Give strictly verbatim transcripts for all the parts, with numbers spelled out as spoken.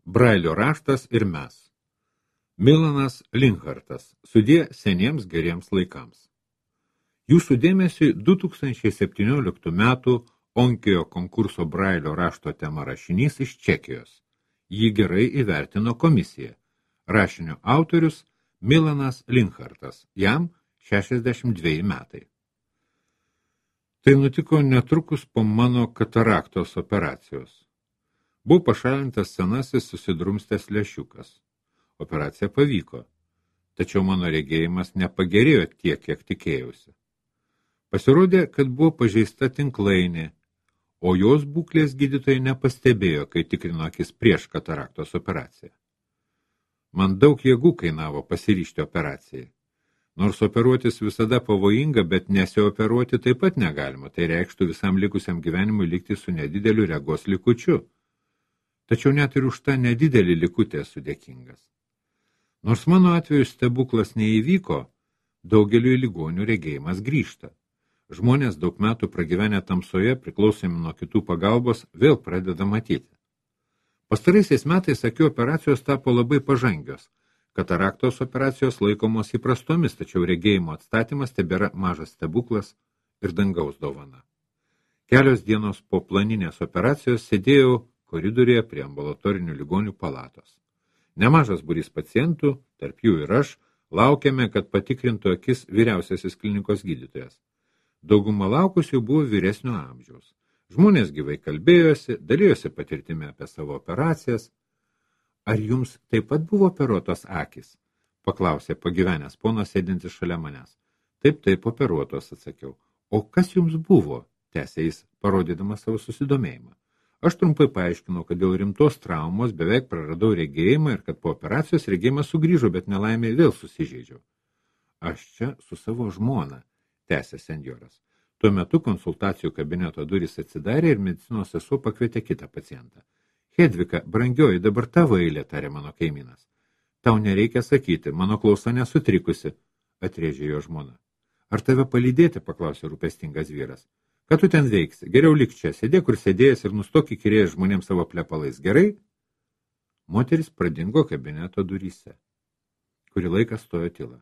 Brailio raštas ir mes. Milanas Linkhartas. Sudie seniems geriems laikams. Jūsų dėmesiui du tūkstančiai septynioliktų metų Onkejo konkurso Brailio rašto tema rašinys iš Čekijos. Jį gerai įvertino komisija. Rašinio autorius Milanas Linkhartas. Jam šešiasdešimt dveji metai. Tai nutiko netrukus po mano kataraktos operacijos. Buvo pašalintas senasis susidrumstęs lęšiukas. Operacija pavyko, tačiau mano regėjimas nepagerėjo tiek, kiek tikėjausi. Pasirodė, kad buvo pažeista tinklainė, o jos būklės gydytojai nepastebėjo, kai tikrino akis prieš kataraktos operaciją. Man daug jėgų kainavo pasiryžti operacijai. Nors operuotis visada pavojinga, bet nesioperuoti taip pat negalima, tai reikštų visam likusiam gyvenimui likti su nedideliu regos likučiu. Tačiau net ir už tą nedidelį likutį esu dėkingas. Nors mano atveju stebuklas neįvyko, daugeliu ligonių regėjimas grįžta. Žmonės daug metų pragyvenę tamsoje, priklausomi nuo kitų pagalbos, vėl pradeda matyti. Pastaraisiais metais akių operacijos tapo labai pažangios. Kataraktos operacijos laikomos įprastomis, tačiau regėjimo atstatymas tebėra mažas stebuklas ir dangaus dovana. Kelios dienos po planinės operacijos sėdėjau koridoriuje prie ambulatorinių ligonių palatos. Nemažas būrys pacientų, tarp jų ir aš, laukiame, kad patikrintų akis vyriausiasis klinikos gydytojas. Dauguma laukusių buvo vyresnio amžiaus. Žmonės gyvai kalbėjosi, dalijosi patirtimi apie savo operacijas. Ar jums taip pat buvo operuotos akys? Paklausė pagyvenęs ponas sėdintis šalia manęs. Taip, taip, operuotos, atsakiau. O kas jums buvo? Tęsė jis, parodydamas savo susidomėjimą. Aš trumpai paaiškinau, kad dėl rimtos traumos beveik praradau regėjimą ir kad po operacijos regėjimas sugrįžo, bet nelaimė vėl susižeidžiau. Aš čia su savo žmona, tęsė senjoras. Tuo metu konsultacijų kabineto durys atsidarė ir medicinos sesuo pakvietė kitą pacientą. Hedvika, brangioji, dabar tavo eilė, tarė mano kaimynas. Tau nereikia sakyti, mano klausa nesutrikusi, atrėžė jo žmona. Ar tave palydėti, paklausė rūpestingas vyras. Ką tu ten veiksi? Geriau lik čia, sėdė, kur sėdėjęs ir nustok įkirėjęs žmonėms savo plepalais. Gerai? Moteris pradingo kabineto duryse. Kurį laiką stojo tyla.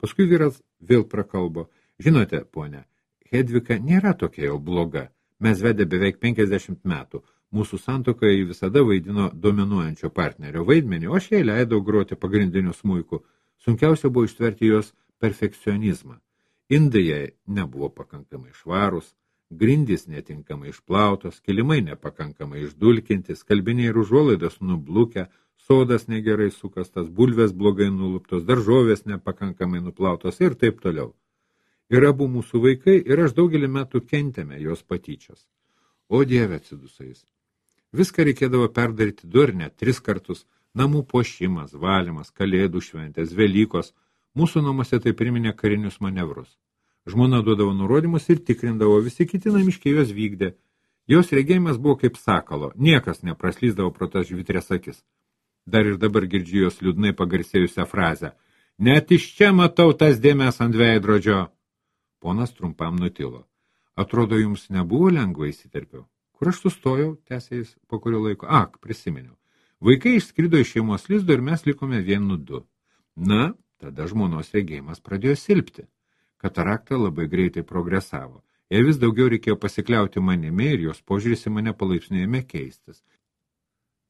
Paskui vyras vėl prakalbo. Žinote, ponia, Hedvika nėra tokia jau bloga. Mes vedė beveik penkiasdešimt metų. Mūsų santuokoje ji visada vaidino dominuojančio partnerio vaidmenį, o aš jai leidau groti pagrindiniu smuiku. Sunkiausia buvo ištverti jos perfekcionizmą. Indai jai nebuvo pakankamai švarūs, grindys netinkamai išplautos, kilimai nepakankamai išdulkinti, skalbiniai ir užuolaidos nublukę, sodas negerai sukastas, bulvės blogai nuluptos, daržovės nepakankamai nuplautos ir taip toliau. Ir abu mūsų vaikai ir aš daugelį metų kentėme jos patyčias. O Dieve, atsidusais. Viską reikėdavo perdaryti du ar net tris kartus, namų puošimas, valymas, kalėdų šventės, Velykos. Mūsų namuose tai priminė karinius manevrus. Žmona duodavo nurodymus ir tikrindavo, visi kiti namiškiai jos vykdė. Jos regėjimas buvo kaip sakalo, niekas nepraslysdavo pro tas žvitrės akis. Dar ir dabar girdžiu jos liūdnai pagarsėjusią frazę. Net iš čia matau tas dėmes ant veidrodžio. Ponas trumpam nutilo. Atrodo, jums nebuvo lengva, įsiterpiau. Kur aš sustojau, tęsė jis po kurio laiko. Ak, prisiminiau. Vaikai išskrido iš šeimos lizdo ir mes likome vienu du. Na, tada žmonos regėjimas pradėjo silpti. Katarakta labai greitai progresavo. Jai vis daugiau reikėjo pasikliauti manimi ir jos požiūris į mane palaipsniui keistis.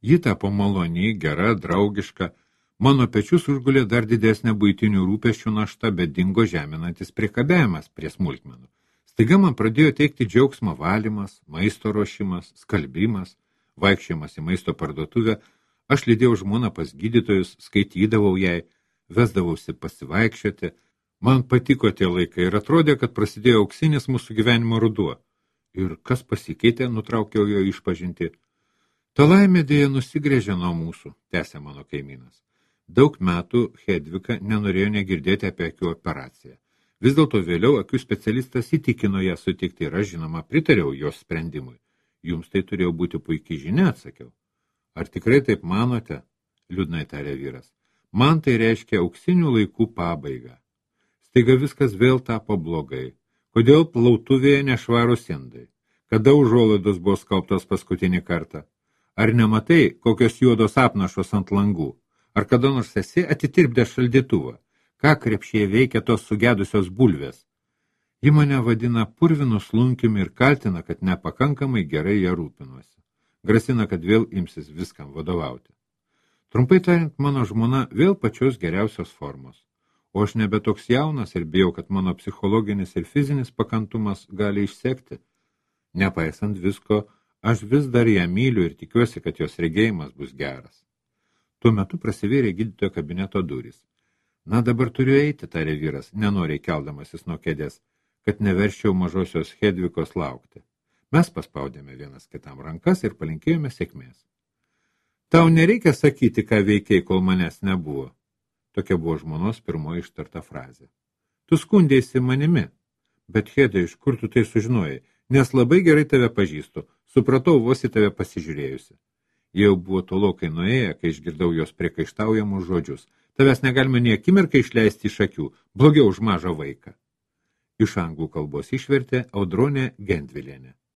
Ji tapo maloni, gera, draugiška. Mano pečius užgulė dar didesnė buitinių rūpesčių našta, bet dingo žeminantis priekabėjimas prie smulkmenų. Staiga man pradėjo teikti džiaugsmą valymas, maisto ruošimas, skalbimas, vaikščiojimas į maisto parduotuvę. Aš lydėjau žmoną pas gydytojus, skaitydavau jai, vesdavausi pasivaikščioti. Man patiko tie laikai ir atrodė, kad prasidėjo auksinis mūsų gyvenimo ruduo. Ir kas pasikeitė, nutraukiau jo išpažinti. Ta laimė dėja nusigrėžė nuo mūsų, tęsė mano kaimynas. Daug metų Hedvika nenorėjo negirdėti apie akių operaciją. Vis dėlto vėliau akių specialistas įtikino ją sutikti ir aš, žinoma, pritariau jos sprendimui. Jums tai turėjo būti puikiai žinia, atsakiau. Ar tikrai taip manote? Liūdnai tarė vyras. Man tai reiškia auksinių laikų pabaigą. Staiga viskas vėl tapo blogai. Kodėl plautuvėje nešvarūs indai? Kada užuolaidos buvo skalbtos paskutinį kartą? Ar nematai, kokios juodos apnašos ant langų? Ar kada nors esi atitirpdė šaldytuvą? Ką krepšėje veikia tos sugedusios bulvės? Ji mane vadina purvinu slunkiumi ir kaltina, kad nepakankamai gerai ją rūpinuosi. Grasina, kad vėl imsis viskam vadovauti. Trumpai tariant, mano žmona vėl pačios geriausios formos. O aš nebe toks jaunas ir bijau, kad mano psichologinis ir fizinis pakantumas gali išsekti. Nepaisant visko, aš vis dar ją myliu ir tikiuosi, kad jos regėjimas bus geras. Tuo metu prasivėrė gydytojo kabineto durys. Na, dabar turiu eiti, tarė vyras, nenoriai keldamasis nuo kėdės, kad neverščiau mažosios Hedvikos laukti. Mes paspaudėme vienas kitam rankas ir palinkėjome sėkmės. Tau nereikia sakyti, ką veikiai, kol manęs nebuvo. Tokia buvo žmonos pirmoji ištarta frazė. Tu skundėsi manimi. Bet, Hedai, iš kur tu tai sužinojai? Nes labai gerai tave pažįstu. Supratau vos į tave pasižiūrėjusi. Jau buvo tolokai nuėję, kai išgirdau jos priekaištaujamus žodžius. Tavęs negalime nei akimirką išleisti iš akių, blogiau už mažą vaiką. Iš anglų kalbos išvertė Audronė Gendvilienė.